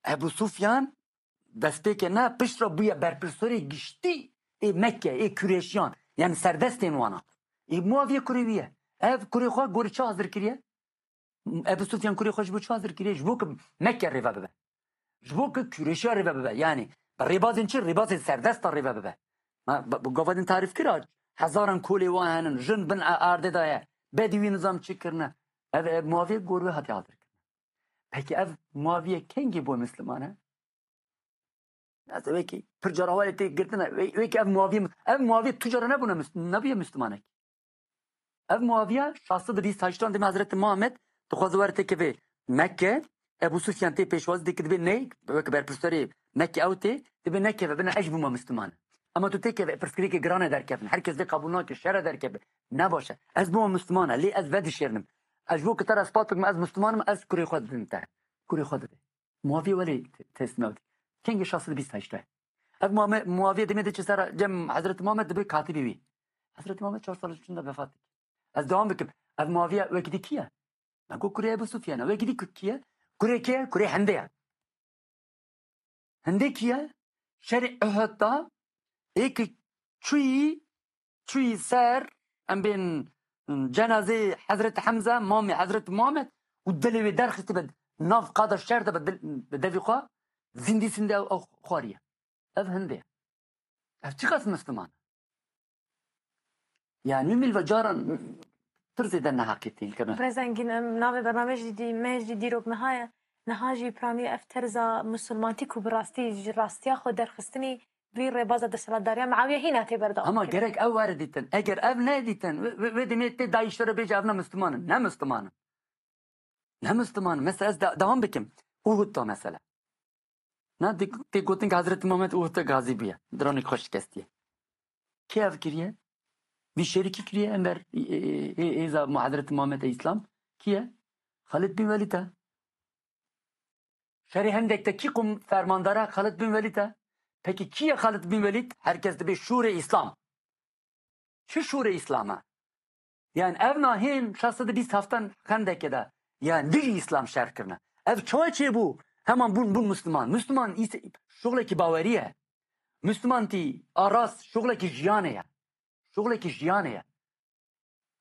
Ebu Sufyan destpêkê ne pişt re bûye berpirsorê giştî ê Mekke, ê Kureşiyan. Yani serdestên wana. Ê Muaviye kurê wî ye. Ev kurê xwe gorî çi hazir kiriye? Ebu Sufyan kurê xwe ji bo çi hazir kiriye? Ji bo ku Mekke rêve bibe. Ji bo ku Kureşiya rêve bibe. Yani bi rêbazên çi? Rêbazên serdesta rêve bibe. Ma, bi, bi gava din tarîf kira. Hezaran kolê wan henin. Jin bin e-, erdê de ye. Bedîwî nizam çi kirine. Ev, ev Muaviye gor wê hatiye hazir kirine. Peki ev Muaviye kengî bû Misliman e? Ez wekî pir cara welê tê girtine. Wê-, wekî ev Muaviye, ev Muaviye tu cara nebûne mis-, nebûye Mislimanek. Ev Muaviye şeş sed û bîst heştan demê Hezretî Muhammed dixwaze were têkeve Mekke, Ebu Sufyan tê pêşwazî dike, dibê ney, wek berpirsarê Mekke ew tê, dibê nekeve, bina ez jî bûma Misliman. Ema tu têkeve, pirsgirêkê giran e derkevin. Her kes vê qebûl nake, şer e derkeve. Ne baş e. Ez bûma Misliman e, lê ez vedişêrinim. Ez ji bo ku te re spat bikim, ez Musliman im, ez kurê xwe didim te. Kurê xwe didê. Muaviye welê te-, teslîm ew dike. Kengê şeş sed û bîst heşt e. Ev Muame-, Muaviye demê diçe ser cem Hezreti Muhammed dibe katibê wî. Hezreti Muhammed çar sal çûn de vefat dike. Ez dewam bikim. Ev Muaviye wekî dî kî ye? Me got kurê Ebu Sufyan e. Wekî dî kî ye? Kurê kê ye? Kurê Hindê ye. Hindê kî ye? Şerê Uhud da ê ki çûyî, çûyî ser, em bên, cenazê Hezreti Hemze, mamê Hezreti Muhammed û dilê wê derxistî bi nav qada şer de bi dil, bi devî xwe zindî sindê ew, ew xwariye. Ev Hindê ye. Ev çiqas Misliman e? Yani min ve caran pir zêde neheqîtîn kirine. Birêz Engîn, em navê bernamê jî dî, me jî dîrok niha ye. Niha jî piranî ev terza musulmantî ku bi rastî ji rastiya xwe derxistinî vî rêbaza desthilatdariya Miawiye hîna tê berdewam Ama kirin. Gerek ew were dîtin. Eger ev nedîtin, wê, wê, wê demê tê dayîşlere bêje ev ne Müslüman in. Ne Müslüman in. Ne Müslüman in. Mesela ez de, devam bikim. Uhud da mesela. Na tê, tê gotin ki Hazreti Muhammed Uhud'da gazi bûye. Diranê xwe şikestiye. Kê ev kiriye? Vî şerî kî kiriye? Ember ê, ê, ê, êza Hazreti Muhammed ê Îslam. Kî ye? Xalid bin Welîd e. Şerê Hendek de kî qum fermandar e? Xalid bin Welîd e. Peki kî ye Xalid bin Welîd? Herkes dibê şûrê Îslam. Çi şûrê Îslam e? Yani ev nahên şeş sed û bîst heftan Xendekê de. Yani dijî Îslam şer kirine. Ev çawa çêbû? Heman bûn, bûn Müslüman. Müslüman îs-, şuxlekî bawerî ye. Müslümantî a rast şuxlekî jiyanê ye. Şuxlekî jiyanê ye.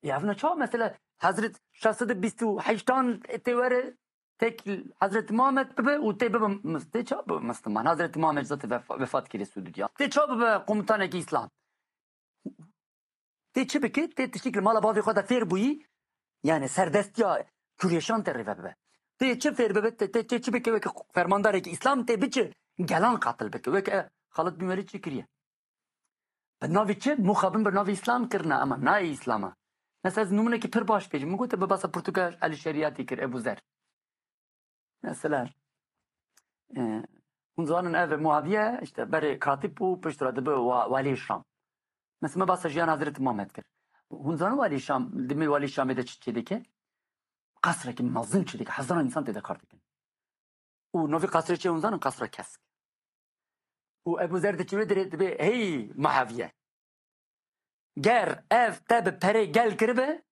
Ya ev ne çawa mesela Hezret şeş sed û bîst û heştan tê were tek Hezret Muhammed bibe û tê bibe mis-, tê çawa bibe Müslüman? Hezret Muhammed zaten vefa-, vefat kiriye Suudiya. Tê çawa bibe komutanekî Îslam? Tê çi bike? Tê tiştik li mala bavê xwe de fêr bûyî, yani serdestiya Kurêşan tê rêve bibe. Tê çi fêr bibe? Tê, tê, tê çi bike? Weke fermandarekî Îslam tê biçe gelan qatil bike. Weke Xalid bin Welîd çi kiriye? Bi navê çi? Mixabin bi navê Îslam kirine, ama nayê Îslama. Mesela ez nimûnekî pir baş bêjim. Min gote bi basa pirtûka Elî Şerîatî kir, Ebu Zer. Mesela, e, hûn zanin ev Muaviye, işte, berê katîb bû, piştre dibe wa-, walî Şam. Mesela me basa jiyan Hezreti Muhammed kir. Hûn zanin walî Şam, dimê walî Şamê de çi çê dike? Qasrekî mezin çê dike, hezaran însan tê de kar dikin. Û novî qasrê çi hûn zanin? Qasra Kesk. Û Ebu Zer diçe wê dirê dibê, hey Muaviye. Ger ev te bi perê gel kiribe,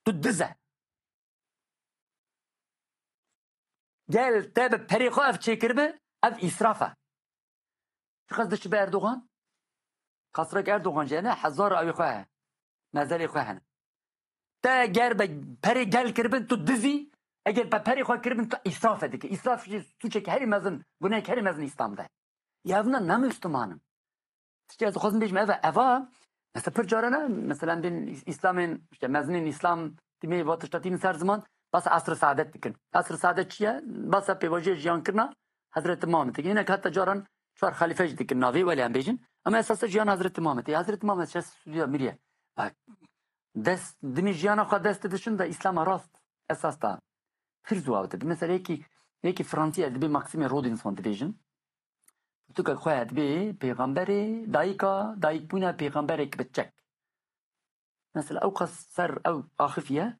tu diz e. Gel te bi perê xwe ev çêkiribe, ev îsraf e. Çiqas diçibe Erdogan? Qasrek Erdogan jî hene, hezar awê xwe heye. Mezelê xwe hene. Te ger be perê gel kiribin, tu dizî, eger be perê xwe kiribin, tu îsraf e dike. Îsraf jî sûçek herî mezin, gunehek herî mezin Îslam de. Ya ev ne, ne Müslüman in. Tiştê ez dixwazim bêjim, ev e, eva, mesela pir carana, mesela bên Îslamên, işte mezinên Îslam, timê va tişta tînin ser ziman, basa esr saadet dikin. Esr saadet çi ye? Basa pêvajoya jiyankirina Hezreti Muhammed dikin. Hinek heta caran çar xelîfe jî dikin navê, welê em bêjin. Ama esasa jiyan Hezreti Muhammed. Ê Hezreti Muhammed şeş sediya miriye. Bak, dest, dimî jiyana xwe dest didişin de Îslama rast esas da pir zû ew dibe. Mesela yekî, yekî Fransî ez dibê Maxime Robinson dibêjin. Pirtûka xwe dibê pêxemberê, dayika, dayikbûna pêxemberek bi çek. Mesela ew qas ser ew axifiye,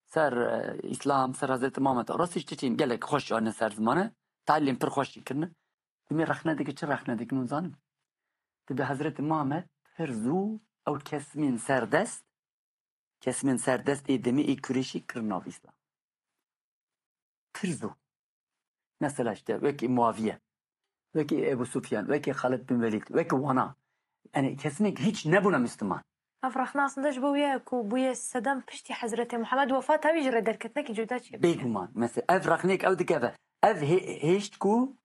ser, e, Îslam, ser Hezreti Muhammed. Rastî çiçîn gelek xweş anîne ser ziman e. Talîlên pir xweş jî kirine. Dimê rexne dike, çi rexne dike, hûn zanin? Dibe Hezreti Muhammed pir zû ew kesimên serdest, kesimên serdest ê demê ê Kurêşî kirin nav Îslam. Pir zû. Mesela işte wekî Muaviye, wekî Ebu Sufyan, wekî Xalid bin Welîd, wekî wana. Yani kesinek hiç nebûne Müslüman. Ev rexne aslında ji bo wî ye ku bûye sedem piştî Hezretê Muhammed wefata wî ji rê derketinekî cuda çêbûye. Bêguman. Mesela ev rexneyek ew dike ve ev hê-, hêşt ku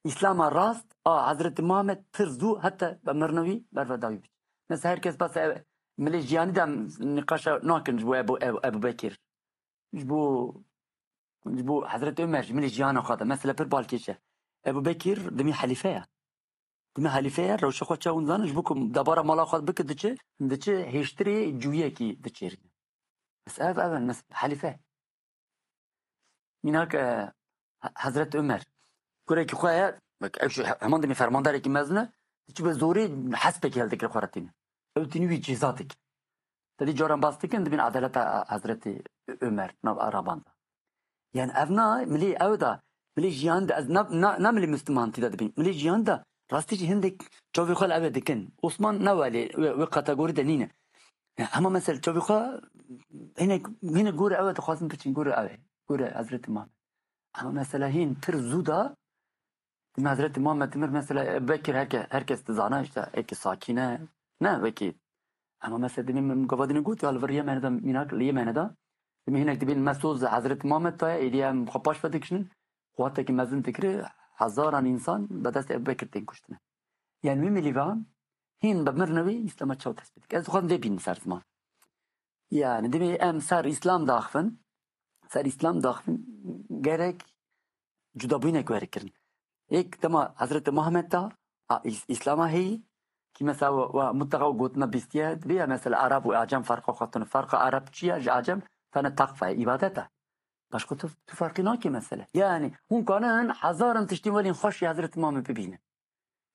Îslama rast a Hezretî Muhammed pir zû heta be mirina wî berve dawî biçe. Mesela her kes basa ev milê jiyanî de nîqaşa nakin ji bo Ebu, Ebu, Ebu Bekir. Ji bo, ji bo Hezretî Ömer, ji milê jiyana xwe de. Mesela pir balkêş e. Ebu Bekir dimî helîfe ye. Dimî helîfe ye, rewşa xwe çawa hûn zanin, ji bo ku debara mala xwe bike diçe, diçe hêştirê cûyekî diçêrîne. Mesela ev, ev, mes-, helîfe. Mînak, e, He-, Hezret Ömer. Kurekî xwe ye, bak, ew jî he-, heman demê fermandarekî mezin e, diçibe zorê hespekî hildikire xwe re tîne. Ew tînî wî ceza dike. Te dî caran bas dikin, dibîn edaleta Hezretî Ömer, nav Araban de. Yani ev na, milî ew de, milî jiyan de, ez na, na, na milî Müslümanî de dibîn. Milî jiyan de rastî jî hindek çavê xwe li ew ê dikin. Osman ne welê, wê, wê kategorî de nîne. Ya, hema mesela çavê xwe hinek, hinek gore ew ê dixwazin biçin, gore ew ê, gore Hezretî Muhammed. Ama mesela hîn pir zû da, Dime Hezretî Muhammed Timir mesela Ebu Bekir herke, herkes dizana işte, eki sakine, ne wekî. Ama mesela dime min gavadine got, ya li vir Yemenê de, mînak li Yemenê de, dime hinek dibîn mesoz Hezretî Muhammed taya, êdî em xwe paş ve dikişin, quweteke mezin dikiri, hezaran însan be destê Ebu Bekir tên kuştine. Yani wî milîvan hîn be mirine wî Îslama çaw tespît dike. Ez dixwazim vê bînim ser ziman. Yani dime em ser Îslam daxivin, ser Îslam daxivin, gerek cudabûyînek were kirin. Êk dema Hezretî Muhammed da, a, Îs-, Îslama heyî, ki mesela we, we mutlaka we gotina bîstiye, dibe ya mesela Arab û Acem farqa xwe tune. Farqa Arab çi ye? Ji Acem tane takfa ye, îbadet e. Başka tu, tu farqî nake mesela. Yani hûn kanin hezaran tiştên welên xweş ya Hezretî Muhammed bibînin.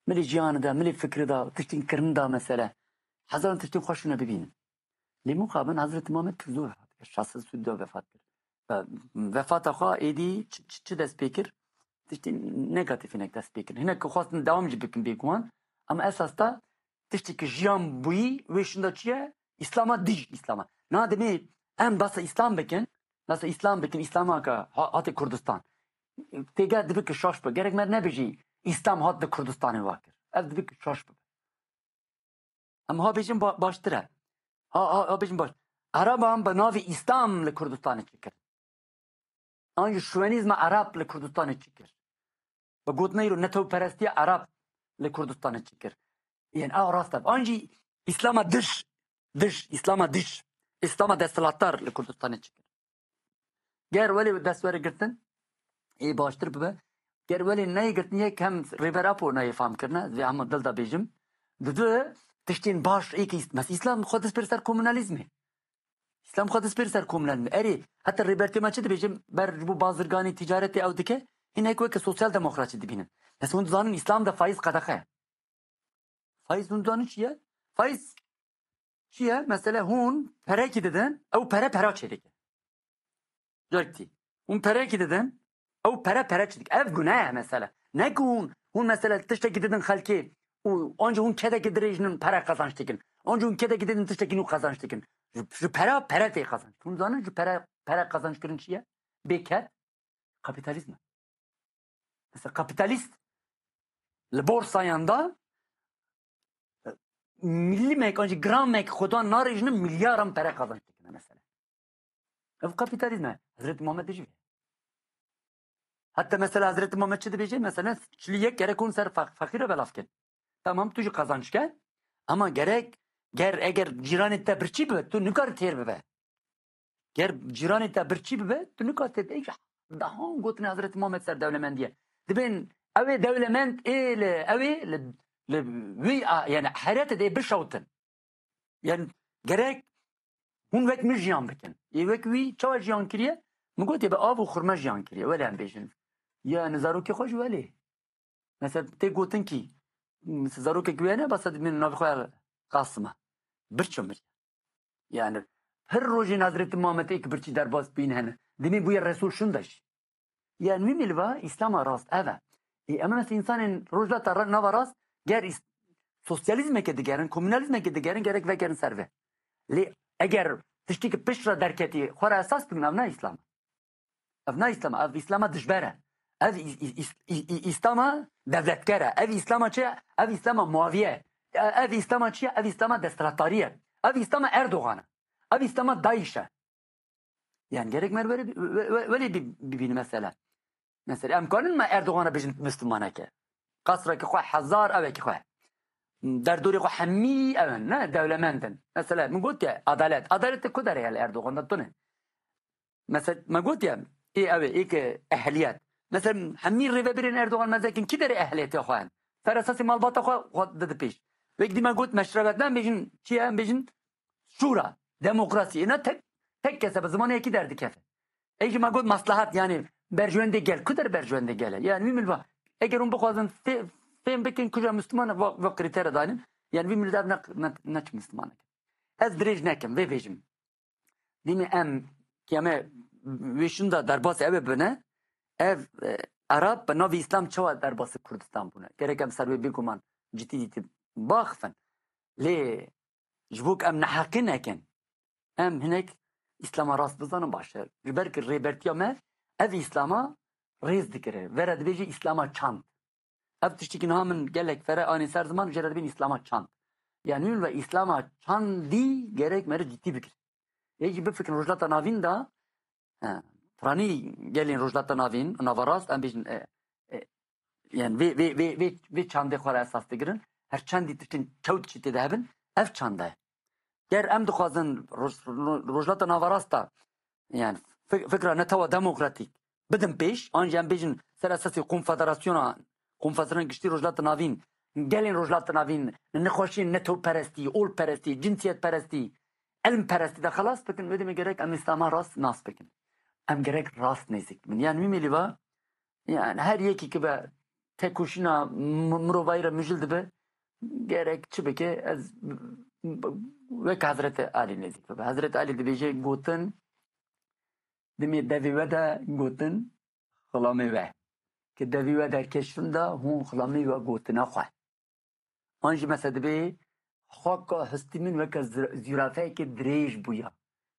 Milî jiyanê de, milî fikrê de, tiştên kirinê de mesela. Hezaran tiştên xweş hûn ê bibînin. Lê muqabil Hezretî Muhammed pir zû vefat kir. Şeş sed û du vefat kir. Ve-, vefata xwe êdî çi, çi, çi dest pê kir? Tiştên negatîf hinek dest pê kir. Hinek ku xwestin dewam jî bikin bêguman. Ama esas da tiştê ki jiyan bûyî wê şinda çi ye? Îslama dij Îslama. Na demê em basa Îslam bikin, basa Îslam bikin, Îslama ke ha-, hatê Kurdistan. Têgel dibe ki şaş be. Gerek me nebêjî Îslam hat di Kurdistanê wa kir. Ev dibe ki şaş be. Em ha bêjin ba-, baştir e. Ha, ha, ha bêjin baş. Ereban bi navê Îslam li Kurdistanê çi kir? An jî şovenîzma Ereb li Kurdistanê çi kir? Bi gotina îro netewperestiya Ereb li Kurdistanê çi kir? Yên ew rast e. An jî Îslama dij, dij, Îslama dij, Îslama desthilatdar li Kurdistanê çi kir? Ger welê dest were girtin, ê baştir bibe. Ger welê neyê girtin, yek hem Rêber Apo neyê fam kirine, ez vê hema dil de bêjim. Di du tiştên baş ê ki Îs-, mes Îslam xwe dispêr ser komunalîzmê. Îslam xwe dispêr ser komunalîzmê. Erê, heta Rêbertiya me çi dibêjim, ber ji bo bazirganî, ticaretê ew dike, hinek weke sosyal demokratçî dibînin. Mes hûn dizanin Îslam de faiz qedexe ye. Faiz hûn dizanin çi ye? Faiz çi ye? Mesele hûn perekî didin, ew pere pera çêdike. Carekî hûn perekî didin, ew pere pere çêdike. Ev gune ye mesele. Ne ku hûn, hûn mesele tiştekî didin xelkê û anca hûn kedekî dirêjinin pere qazanç dikin. Anca hûn kedekî didin tiştekî nû qazanç dikin. Ji, ji pera pere tê qazanç. Hûn zanin ji pere, pere qazanç kirin çi ye? Bêked. Kapîtalîzm e. Mesela kapîtalîst li borsayan de, e, milîmek an jî gramek xwedan narêjine, milyaran pere qazanç dikine mesela. Ev kapîtalîzm e. Hezretî Muhammed dijî vê. Heta mesela Hezretî Muhammed çi dibêje? Mesela çilî yek gerek hûn ser feq-, feqîre belav kin. Tamam, tu jî qazanç ke. Ama gerek, ger, eger cîranê te birçî bibe, tu nikarî têr bibe. Ger cîranê te birçî bibe, tu nikarî têr bibe. Daha gotinê Hezretî Muhammed ser dewlemendiye. Dibên ew ê dewlemend ê li, ew ê li, li wî a, yani herete de bişewtin. Yani gerek hûn wek min jiyan bikin. Ê wek wî çawa jiyan kiriye? Min gotiye bi av û xurme jiyan kiriye. Wele em bêjin. Yani zarokê xwe jî welê. Mesela tê gotin kî, mesela zarokek wê hene, basa dibînin navê xwe Qasim e. Birçî mir. Yani her rojên Hezretî Muhammed êk birçî derbas bîn hene. Dimê bûye Resul şunda jî. Yani wî milî va Îslama rast ev e. Ê, em mesela însanên rojhilata ra-, nava rast ger îs-, sosyalîzmeke digerin, komunalîzmeke digerin, gerek vegerin ser vê. Lê eger tiştekî pişt re derketî, xwe re esas bikin, ev ne Îslam e. Ev ne Îslam e, ev Îslama dijber e. Ev Îs-, Îs-, Îs-, Î-, Î-, Îslama devletger e. Ev Îslama çi ye? Ev Îslama muaviye ye. E-, ev Îslama çi ye? Ev Îslama desthilatdarî ye. Ev Îslama Erdogan e. Ev Îslama DAIŞ e. Yani gerek mer were bi-, we-, we-, welê bi-, bibîne mesela. Mesela em kanin me Erdogan'a bêjin Müslümaneke. Qasreke xwe hezar evekî xwe. Derdorê xwe hemî ew in, ne? Dewlemend in. Mesela min got ya adalet. Adalet de ku derê ye li Erdogan de tune. Mesela me got ya, ê ew ê, ê ke ehliyet. Mesela hemî rêvebirên Erdogan mezekin kî derê ehliyetê xwe in? Ser esasê malbata xwe, xwe dide pêş. Wek dî me got meşrebet, ne em bêjin çi ye? Em bêjin şûra, demokrasî. Êna tek, tek kes e, bi zimanê yekî derdikeve. Ê jî me got maslahat, yani berjwendê gel. Ku der berjwendê gel e? Yani wî milî va, eger hûn bixwazin fê-, fêm bikin kuja Müslüman va, va krîtere danin. Yani wî milî dev ne, ne, ne çi Müslüman e. Ez dirêj nekim, vê bêjim. Dîmê em kiyame wê şunda derbasî ev bibine, ev e, Erab bi navê Îslam çawa derbasî Kurdistan bûne? Gerek em ser wê bêguman cidî dîtî baxifin. Lê ji bo ku em neheqî nekin, em hinek Îslama rast bizanin baş e. Ji ber ku rêbertiya me ev Îslama rêz digire. Vere dibêje Îslama çand. Ev tiştekî niha min gelek fere anî ser ziman, jê re dibên Îslama çand. Yani min ve Îslama çandî gerek meriv cidî bigire. Yê jî bifikirin Rojhilata Navîn de, he, piranî gelên Rojhilata Navîn, nava rast, em bêjin, e, e, yani vê, vê, vê, vê, vê çandê xwe re esas digirin. Her çendî tiştên çewt jî tê de hebin, ev çanda ye. Ger em dixwazin Roj-, Rojhilata Navarasta, yani fik-, fikra netewa demokratîk bidin pêş, an jî em bêjin ser esasê konfederasyona, konfederasyona giştî Rojhilata Navîn, gelên Rojhilata Navîn, nexweşiyên netewperestî, olperestî, cinsiyetperestî, ilmperestî de xelas bikin, wê demê gerek em Îslama rast nas bikin. Em gerek rast nêzîk bin. Yani wî mêlî va, yani her yekî ki be tekoşîna mi-, mirovayî re mijil dibe, gerek çi bike, ez wek Hezretî Alî nêzîk bibe. Hezretî Alî dibêje, gotin, dimê devê we de gotin xilamê we. Ki devê we derkeşin de hûn xilamê we gotina xwe. An jî mesela dibê xaka hestî min weke zir-, zîrafeyeke dirêj bûya.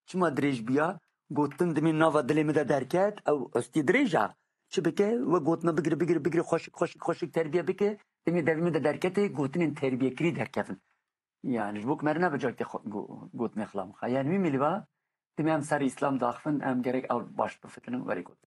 Çima dirêj bûya? Gotin dimê nava dilê min de derket, ew hestî dirêj e. Çi bike? We gotina bigire, bigire, bigire, xweşik, xweşik, xweşik terbiye bike, dimê devê min de derketê, gotinên terbiyekirî derkevin. Yani ji bo ku me re nebe carekê xwe-, go-, gotinê xilam xwe. Yani wî mêlî va, dimê em ser Îslam daxivin, em gerek ew baş bifikinin, werê gotin.